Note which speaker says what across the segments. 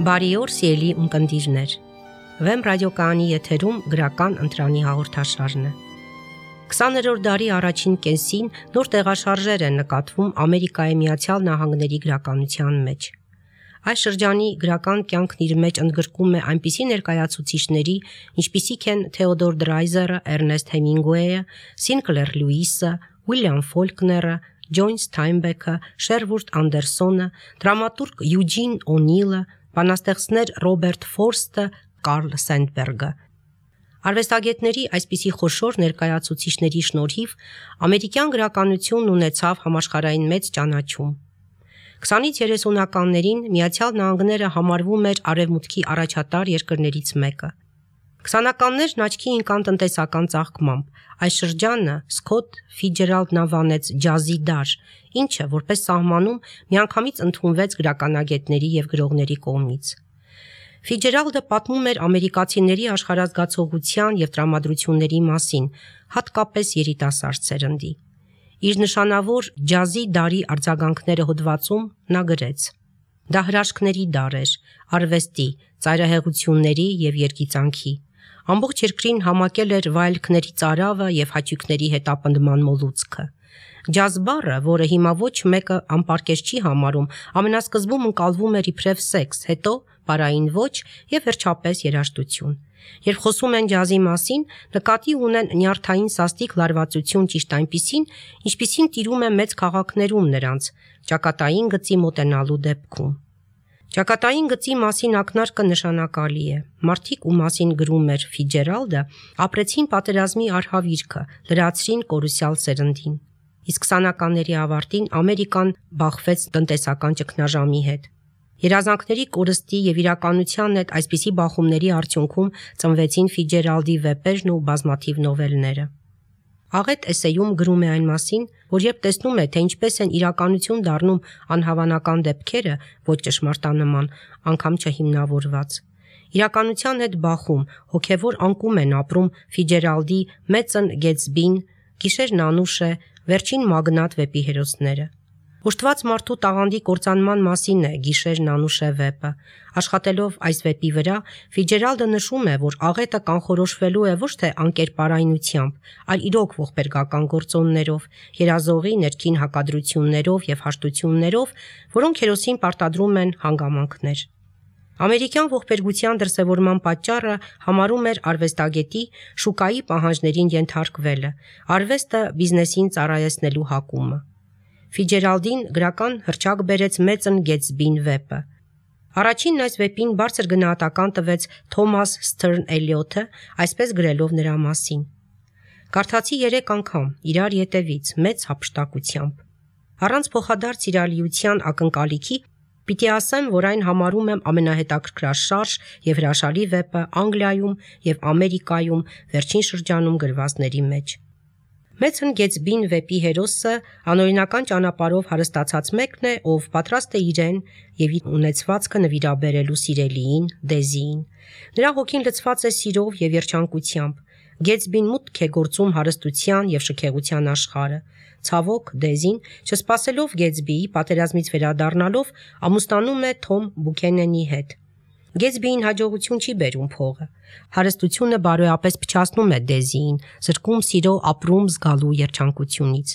Speaker 1: Բարի օր, սիրելի ունկնդիրներ։ Վեմ ռադիոկայանի եթերում գրական ընտրանի հաղորդաշարն է։ 20-րդ դարի առաջին կեսին նոր տեղաշարժեր են նկատվում Ամերիկայի Միացյալ Նահանգների գրականության մեջ։ Այս շրջանի գրական կյանքն իր մեջ ընդգրկում է այնպիսի ներկայացուցիչների, ինչպիսիք են Թեոդոր Դրայզերը, Էրնեստ Հեմինգուեյը, Սինկլեր Լյուիսը, Ուիլյամ Ֆոլկները, Ջոն Սթայնբեքը, Շերվուդ Անդերսոնը, դրամատուրգ Յուջին Օնիլը, բանաստեղծներ Ռոբերտ Ֆորստը, Կարլ Սենդբերգը։ Արվեստագետների այսպիսի խոշոր ներկայացուցիչների շնորհիվ ամերիկյան գրականությունն ունեցավ համաշխարհային մեծ ճանաչում։ 20-ից 30-ականներին Միացյալ Նահանգները համարվում էր Արևմուտքի առաջատար երկրներից մեկը։ 20-ականներն աչքի ընկան տնտեսական ծաղկմամբ։ Այս շրջանը Սքոթ Ֆիցջերալդն անվանեց ջազի դար, ինչը որպես սահմանում միանգամից ընդունվեց գրականագետների եւ գրողների կողմից։ Ֆիցջերալդը պատմում էր ամերիկացիների աշխարհազգացողության եւ տրամադրությունների մասին, հատկապես երիտասարդ սերնդի։ Իր նշանավոր ջազի դարի արձագանքները հոդվածում նա գրեց. «Դա հրաշքների դար էր, արվեստի, ծայրահեղությունների եւ երգիծանքի։ Ամբողջ երկրին համակել էր վայելքների ծարավը եւ հաճույքների հետապնդման մոլուցքը։ Ջազ բառը, որը հիմա ոչ մեկը անպարկեշտ չի համարում, ամենասկզբում ընկալվում էր իբրև սեքս, հետո պարային ոճ եւ վերջապես երաժշտություն։ Երբ խոսում են ջազի մասին, նկատի ունեն նյարդային սաստիկ լարվածություն ճիշտ այնպիսին, ինչպիսին տիրում է մեծ քաղաքներում նրանց, ճակատային գծի մոտենալու դեպքում։ Ճակատային գծի մասին ակնարկը նշանակալի է։ Մարդիկ, ում մասին գրում էր Ֆիցջերալդը, ապրեցին պատերազմի արհավիրքը, լրացրին կորուսյալ սերնդին։ Իսկ 20-ականների ավարտին Ամերիկան բախվեց տնտեսական ճգնաժամի հետ։ Երազանքների կորստի եւ իրականության հետ այսպիսի բախումների արդյունքում ծնվեցին Ֆիցջերալդի վեպերն ու բազմաթիվ նովելները։ Աղետ էսեյում գրում է այն մասին, որ երբ տեսնում է, թե ինչպես են իրականություն դառնում անհավանական դեպքերը, ոչ ճշմարտանման, անգամ չհիմնավորված։ Իրականության հետ բախում, հոգևոր անկում են ապրում Ֆիցջերալդի Մեծն Գետսբին, Գիշերն անուշ է, Վերջին մագնատ վեպի հերոսները։ Ուշտված մարդու տաղանդի կործանման մասին է Գիշերն անուշ է վեպը։ Աշխատելով այս վեպի վրա, Ֆիցջերալդը նշում է, որ աղետը կանխորոշվելու է ոչ թե անկերպարայնությամբ, այլ իրոք ողբերգական գործոններով, երազողի ներքին հակադրություններով եւ հաշտություններով, որոնք հերոսին պարտադրում են հանգամանքներ։ Ամերիկյան ողբերգության դրսևորման պատճառը համարում էր արվեստագետի շուկայի պահանջներին ենթարկվելը, արվեստը բիզնեսին ծառայեցնելու հակումը։ Ֆիցջերալդին գրական հռչակ բերեց Մեծն Գետսբին վեպը։ Առաջինն այս վեպին բարձր գնահատական տվեց Թոմաս Սթըրն Էլիոթը, այսպես գրելով նրա մասին. «Կարդացի 3 անգամ, իրար ետևից, մեծ հափշտակությամբ։ Առանց փոխադարձ իրալիության ակնկալիքի պիտի ասեմ, որ այն համարում եմ ամենահետաքրքրաշարժ եւ հրաշալի վեպը Անգլիայում եւ Ամերիկայում վերջին շրջանում գրվածների մեջ։ Մեծն Գետսբին վեպի հերոսը անօրինական ճանապարհով հարստացած մեկն է, ով պատրաստ է իրեն եւ իր ունեցվածքը նվիրաբերելու սիրելիին, Դեզիին։ Նրա հոգին լցված է սիրով եւ երջանկությամբ։ Գետսբին մուտք է գործում հարստության եւ շքեղության աշխարհը։ Ցավոք, Դեզին, չսպասելով Գետսբիի պատերազմից վերադառնալով, ամուսնանում է Թոմ Բուքենենի հետ։ Գետսբիին հաջողություն չի բերում փողը։ Հարստությունը բարոյապես փչացնում է Դեզիին, զրկում սիրո ապրում զգալու երջանկությունից։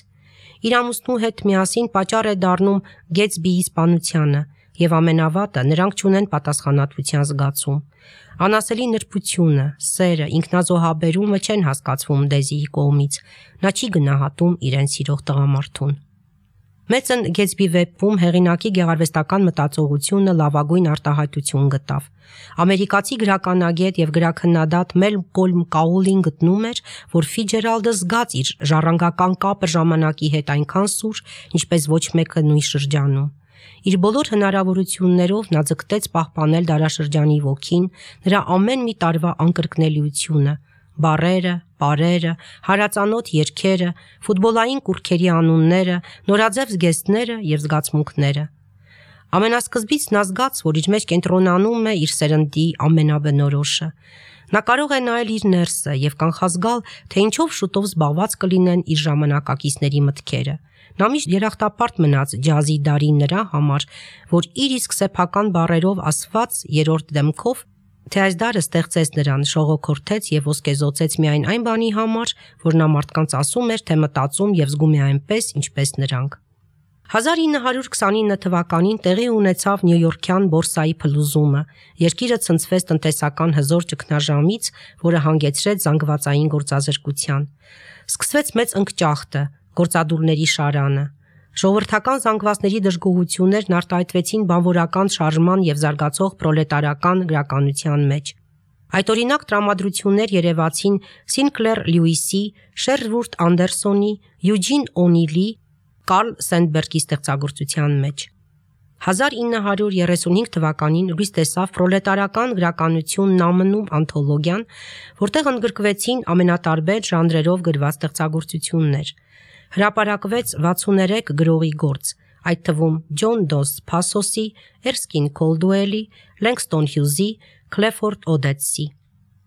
Speaker 1: Իր ամուսնու հետ միասին պատճառ է դառնում Գետսբիի սպանությանը, եւ ամենավատը, նրանք չունեն պատասխանատվության զգացում։ Անասելի նրբությունը, սերը, ինքնազոհաբերումը չեն հասկացվում Դեզիի կողմից։ Նա չի գնահատում իրեն սիրող տղամարդուն։ Մեծն Գետսբի վեպում հեղինակի գեղարվեստական մտածողությունը լավագույն արտահայտություն գտավ։ Ամերիկացի գրականագետ եւ գրաքննադատ Մելկոլմ Կաուլին գտնում էր, որ Ֆիցջերալդը զգաց իր ժառանգական կապը ժամանակի հետ այնքան սուր, ինչպես ոչ մեկը նույն շրջանում։ Իր բոլոր հնարավորություններով նա ձգտեց պահպանել դարաշրջանի ոգին, նրա ամեն մի տարվա անկրկնելիությունը, բառերը, պարերը, հարածանոթ երգերը, ֆուտբոլային կուռքերի անունները, նորաձև զգեստները եւ զգացմունքները։ Ամենասկզբից նա զգաց, որ իր մեջ կենտրոնանում է իր սերնդի ամենաբնորոշը։ Նա կարող է նայել իր ներսը եւ կանխազգալ, թե ինչով շուտով զբաղված կլինեն իր ժամանակակիցների մտքերը։ Նա միշտ երախտապարտ մնաց ջազի դարի նրա համար, որ իր իսկ սեփական բառերով ասված երրորդ դեմքով, թե այս դարը ստեղծեց նրան, շողոքորթեց եւ ոսկեզօծեց միայն այն բանի համար, որ նա մարդկանց ասում էր, թե մտածում եւ զգում է այնպես, ինչպես նրանք։ 1929 թվականին տեղի ունեցավ Նյույորքյան բորսայի փլուզումը։ Երկիրը ցնցվեց տնտեսական հզոր ճգնաժամից, որը հանգեցրեց զանգվածային գործազրկության։ Սկսվեց մեծ ընկճախտը, գործադուլների շարանը։ Ժողովրդական զանգվածների դժգոհություններն արտահայտվեցին բանվորական շարժման եւ զարգացող պրոլետարական գրականության մեջ։ Այդօրինակ տրամադրություններ երևացին Սինկլեր Լյուիսի, Շերվուրդ Անդերսոնի, Յուջին Օնիլի, Կարլ Սենդբերգի ստեղծագործության մեջ։ 1935 թվականին լույս տեսավ Պրոլետարական գրականությունն ԱՄՆ-ում անթոլոգիան, որտեղ ընդգրկվեցին ամենատարբեր ժանրերով գրված ստեղծագործություններ։ Հրապարակվեց 63 գրողի գործ, այդ թվում Ջոն Դոս Փասոսի, Էրսկին Քոլդուելի, Լենգստոն Հյուզի, Քլեֆորդ Օդետսի։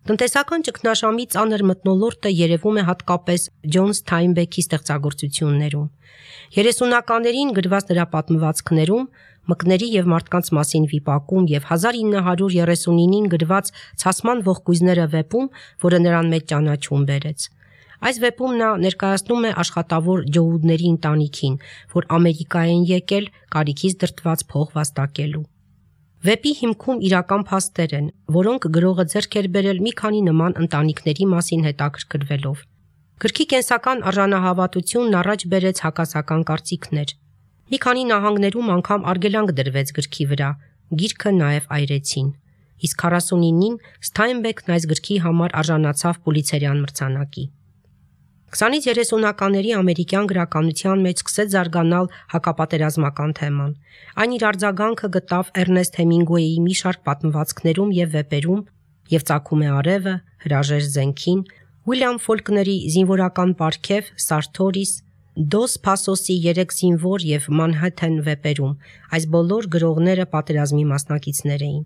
Speaker 1: Տնտեսական ճգնաժամի ծանր մթնոլորտը երևում է հատկապես Ջոն Սթայնբեքի ստեղծագործություններում։ 30-ականներին գրված նրա պատմվածքներում, մկների եւ մարդկանց մասին վիպակում եւ 1939-ին գրված Ցասման ողկույզները վեպում, որը նրան մեծ ճանաչում բերեց։ Այս վեպում նա ներկայացնում է աշխատավոր ջոուդների ընտանիքին, որ Ամերիկա են եկել կարիքից դրդված փող վաստակելու։ Վեպի հիմքում իրական փաստեր են, որոնք գրողը ձեռք էր բերել մի քանի նման ընտանիքների մասին հետաքրքրվելով։ Գրքի կենսական արժանահավատությունն առաջ բերեց հակասական կարծիքներ։ Մի քանի նահանգներում անգամ արգելանք դրվեց գրքի վրա, գիրքը նաև այրեցին։ Իսկ 49-ին Սթայնբեքն այս գրքի համար արժանացավ Պուլիցերյան մրցանակի։ 20-ից 30-ականների ամերիկյան գրականության մեջ սկսեց զարգանալ հակապատերազմական թեման։ Այն իր արձագանքը գտավ Էրնեստ Հեմինգուեյի մի շարք պատմվածքներում եւ վեպերում, եւ Ծագում է արևը, Հրաժեշտ զենքին, Ուիլյամ Ֆոլկների Զինվորական պարգև, Սարթորիս, Դոս Փասոսի 3 զինվոր եւ Մանհեթեն վեպերում։ Այս բոլոր գրողները պատերազմի մասնակիցներ էին։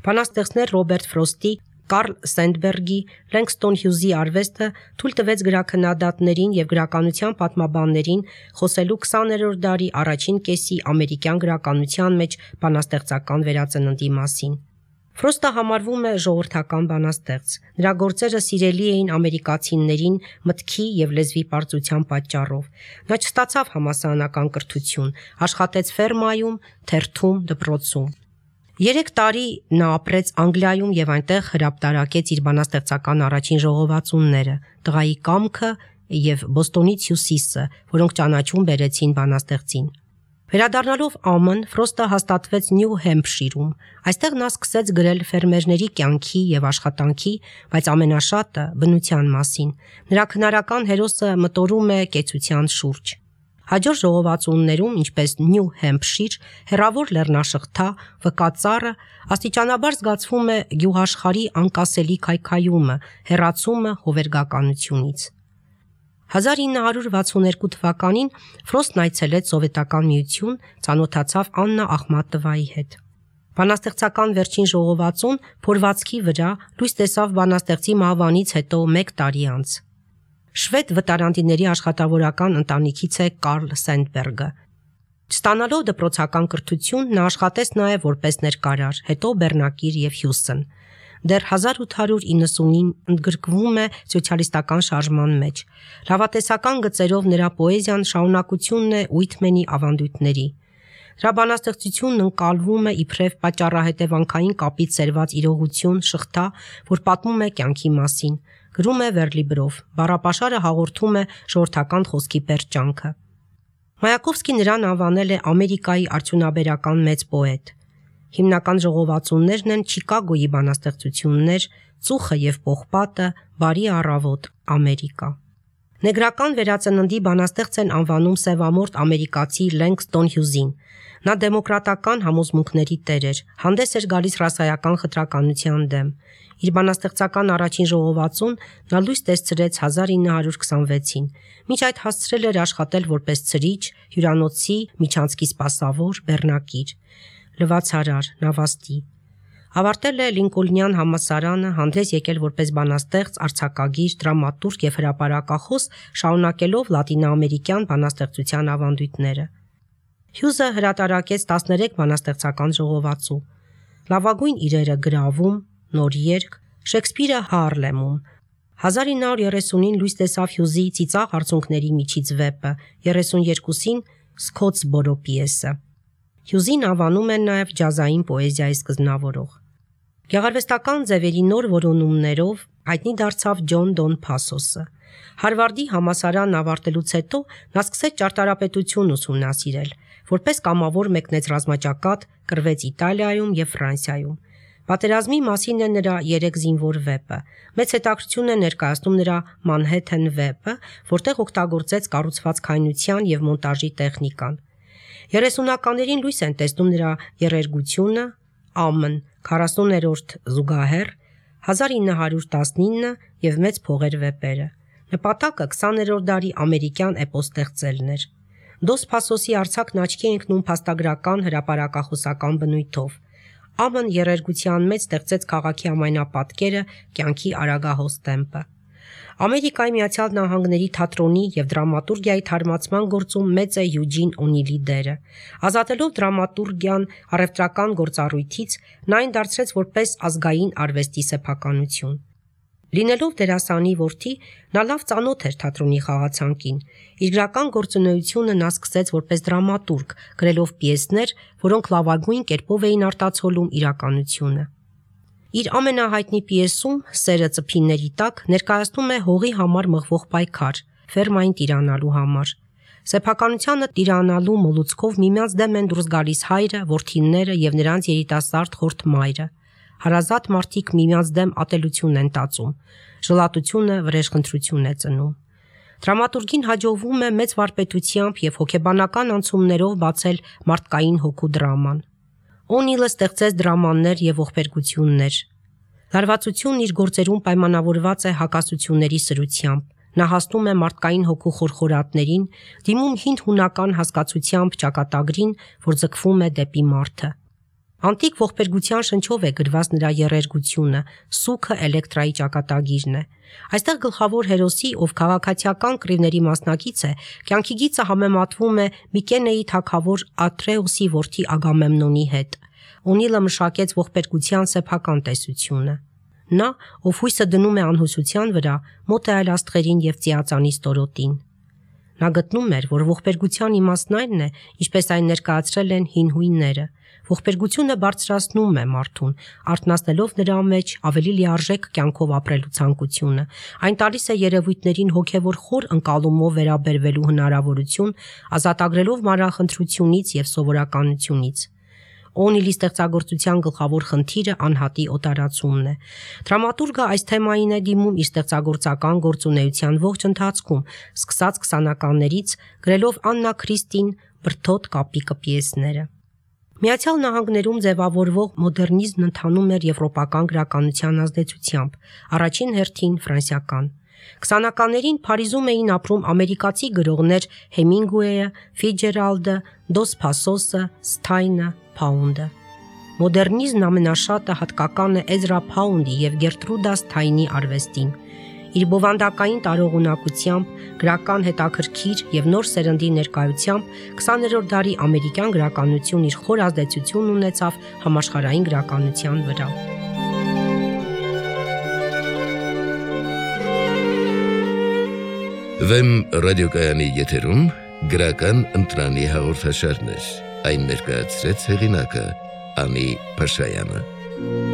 Speaker 1: Բանաստեղծներ Ռոբերտ Ֆրոստի, Կարլ Սենդբերգի, Լենգստոն Հյուզի արվեստը թույլ տվեց գրաքննադատներին եւ գրականության պատմաբաններին խոսելու 20-րդ դարի առաջին կեսի ամերիկյան գրականության մեջ բանաստեղծական վերածննդի մասին։ Ֆրոստը համարվում է ժողովրդական բանաստեղծ։ Նրա գործերը սիրելի էին ամերիկացիներին մտքի եւ լեզվի պարծության պատճառով։ Նա չստացավ համալսարանական կրթություն, աշխատեց ֆերմայում, թերթում, դպրոցում։ 3 տարի նա ապրեց Անգլիայում եւ այնտեղ հրապարակեց իր բանաստեղծական առաջին ժողովածունները՝ Տղայի կամքը եւ Բոստոնից հյուսիսը, որոնք ճանաչում բերեցին բանաստեղծին։ Վերադառնալով ԱՄՆ, Ֆրոստը հաստատվեց Նյու Հեմփշիրում։ Այստեղ նա սկսեց գրել ֆերմերների կյանքի եւ աշխատանքի, բայց ամենաշատը բնության մասին։ Նրա քնարական հերոսը մտորում է կեցության շուրջ։ Հաջորդ ժողովածուններում, ինչպես Նյու Հեմփշիր, հեռավոր լեռնաշղթա, վկածառը, աստիճանաբար զգացվում է գյուղաշխարհի անկասելի քայքայումը, հեռացումը հովերգականությունից։ 1962 թվականին Ֆրոստն այցելեց Սովետական Միություն, ծանոթացավ Աննա Ախմատովայի հետ։ Բանաստեղծական վերջին ժողովածուն փորվածքի վրա լույս տեսավ բանաստեղծի մահվանից հետո 1 տարի անց։ Շվեդ վտարանդիների աշխատավորական ընտանիքից է Կարլ Սենդբերգը։ Չստանալով դպրոցական կրթություն, նա աշխատեց նաև որպես ներկարար, հետո բեռնակիր եւ հյուսն։ Դեռ 1890-ին ընդգրկվում է սոցիալիստական շարժման մեջ։ Լավատեսական գծերով նրա պոեզիան շարունակությունն է Ուիթմենի ավանդույթների։ Նրա բանաստեղծությունն ընկալվում է իբրև պատճառահետևանքային կապից սերված իրողություն, շղթա, որ պատմում է կյանքի մասին։ Գրում է վերլիբրով, բառապաշարը հաղորդում է ժողովրդական խոսքի պերճանքը։ Մայակովսկին նրան անվանել է Ամերիկայի արդյունաբերական մեծ պոետ։ Հիմնական ժողովածուններն են Չիկագոյի բանաստեղծություններ, Ծուխը եւ պողպատը, Բարի առավոտ, Ամերիկա։ Նեգրական վերածննդի բանաստեղծ են անվանում սևամորթ ամերիկացի Լենգստոն Հյուզին։ Նա դեմոկրատական համոզմունքների տեր էր, հանդես էր գալիս ռասայական խտրականության դեմ։ Իր բանաստեղծական առաջին ժողովածուն նա լույս տեսրեց 1926-ին, մինչ այդ հասցրել էր աշխատել որպես ցրիչ, հյուրանոցի միջանցքի սպասավոր, բեռնակիր, լվացարար, նավաստի։ Ավարտել է Լինկոլնյան համալսարանը, հանդես եկել որպես բանաստեղծ, արձակագիր, դրամատուրգ եւ հրապարակախոս, շարունակելով լատինոամերիկյան բանաստեղծության ավանդույթները։ Հյուզը հրատարակեց 13 բանաստեղծական ժողովածու։ Լավագույն իրերը գրավում, նոր երգ, Շեքսպիրը Հարլեմում։ 1930-ին լույս տեսավ Հյուզի Ծիծաղ արցունքների միջից վեպը, 32-ին Սկոթսբորո պիեսը։ Հյուզին անվանում են նաև ջազային պոեզիայի սկզբնավորող։ Գեղարվեստական ձևերի նոր որոնումներով հայտնի դարձավ Ջոն Դոն Փասոսը։ Հարվարդի համալսարան ավարտելուց հետո նա սկսեց ճարտարապետություն ուսումնասիրել, որպես կամավոր մեկնեց ռազմաճակատ, կռվեց Իտալիայում եւ Ֆրանսիայում։ Պատերազմի մասին է նրա 3 զինվոր վեպը։ Մեծ հետաքրքրություն է ներկայացնում նրա Մանհեթեն վեպը, որտեղ օգտագործեց կառուցվածքայնության եւ մոնտաժի տեխնիկան։ 30-ականներին լույս են տեսնում նրա երերգությունը, ԱՄՆ 40-րդ զուգահեռ, 1919 եւ Մեծ փողեր վեպերը։ Նպատակը 20-րդ դարի ամերիկյան էպոս ստեղծելն էր։ Դոս Փասոսի արձակն աչքի է ընկնում փաստագրական հրապարակախոսական բնույթով։ ԱՄՆ երերգության մեջ ստեղծեց քաղաքի ամենապատկերը կյանքի արագահոս տեմպը։ Ամերիկայի Միացյալ Նահանգների թատրոնի եւ դրամատուրգիայի թարմացման գործում մեծ է Յուջին Օնիլի դերը։ Ազատելով դրամատուրգիան առևտրական գործառույթից, նա այն դարձրեց որպես ազգային արվեստի սեփականություն։ Լինելով դերասանի որդի, նա լավ ծանոթ էր թատրոնի խաղացանկին։ Իր գրական գործունեությունը նա սկսեց որպես դրամատուրգ, գրելով պիեսներ, որոնք լավագույն կերպով էին արտացոլում իրականությունը։ Իր ամենահայտնի պիեսում «Սերը ծփինների տակ» ներկայացնում է հողի համար մղվող պայքար, ֆերմային տիրանալու համար։ Սեփականությանը տիրանալու մոլուցքով միմյանց դեմ են դուրս գալիս հայրը, որդիները եւ նրանց երիտասարդ խորթ մայրը։ Հարազատ մարդիկ միմյանց դեմ ատելություն են տածում, ժլատությունը վրեժխնդրություն է ծնում։ Դրամատուրգին հաջողվում է մեծ վարպետությամբ եւ հոգեբանական անցումներով բացել մարդկային հոգու դրաման։ Օնիլը ստեղծեց դրամաներ եւ ողբերգություններ։ Լարվածությունն իր գործերում պայմանավորված է հակասությունների սրությամբ։ Նա հասնում է մարդկային հոգու խորխորատներին, դիմում հին հունական հասկացությամբ ճակատագրին, որ ձգվում է դեպի մարդը։ Անտիկ ողբերգության շնչով է գրված նրա երերգությունը, սուքը էլեկտրայի ճակատագիրն է։ Այստեղ գլխավոր հերոսի, ով քաղաքացիական կռիվների մասնակից է, կյանքի գիծը համեմատվում է Միկենեի թագավոր Աթրեոսի որդի Ագամեմնոնի հետ։ Օնիլը մշակեց ողբերգության սեփական տեսությունը։ Նա, ով հույսը դնում է անհուսության վրա, մոտ է այլ աստղերին եւ ծիածանի ստորոտին։ Նա գտնում էր, որ ողբերգության իմաստն այն է, ինչպես այն ներկայացրել են հին հույնները։ Ողբերգությունը բարձրացնում է մարդուն, արթնացնելով նրա մեջ ավելի լիարժեք կյանքով ապրելու ցանկությունը։ Այն տալիս է երևույթներին հոգևոր խոր ընկալումով վերաբերվելու հնարավորություն, ազատագրելով մանրախնդրությունից եւ սովորականությունից։ Օնիլի ստեղծագործության գլխավոր խնդիրը անհատի օտարացումն է։ Դրամատուրգը այս թեմային է դիմում իր ստեղծագործական գործունեության ողջ ընթացքում, սկսած 20-ականներից, գրելով Աննա Քրիստին բրդոտ կապիկը պիեսները։ Միացյալ Նահանգներում ձևավորվող մոդեռնիզմն ընթանում էր եվրոպական գրականության ազդեցությամբ, առաջին հերթին ֆրանսիական։ 20-ականներին Փարիզում էին ապրում ամերիկացի գրողներ Հեմինգուեյը, Ֆիցջերալդը, Դոս Փասոսը, Սթայնը, Փաունդը։ Մոդեռնիզմն ամենաշատը հատկական է Էզրա Փաունդի եւ Գերտրուդա Սթայնի արվեստին։ Իր բովանդակային տարողունակությամբ, գրական հետաքրքիր եւ նոր սերնդի ներկայությամբ 20-րդ դարի ամերիկյան գրականություն իր խոր ազդեցությունն ունեցավ համաշխարհային գրականության վրա։
Speaker 2: Վեմ ռադիոկայանի եթերում գրական ընտրանի հաղորդաշարներ։ Այն ներկայացրեց հեղինակը Անի Փաշայանը։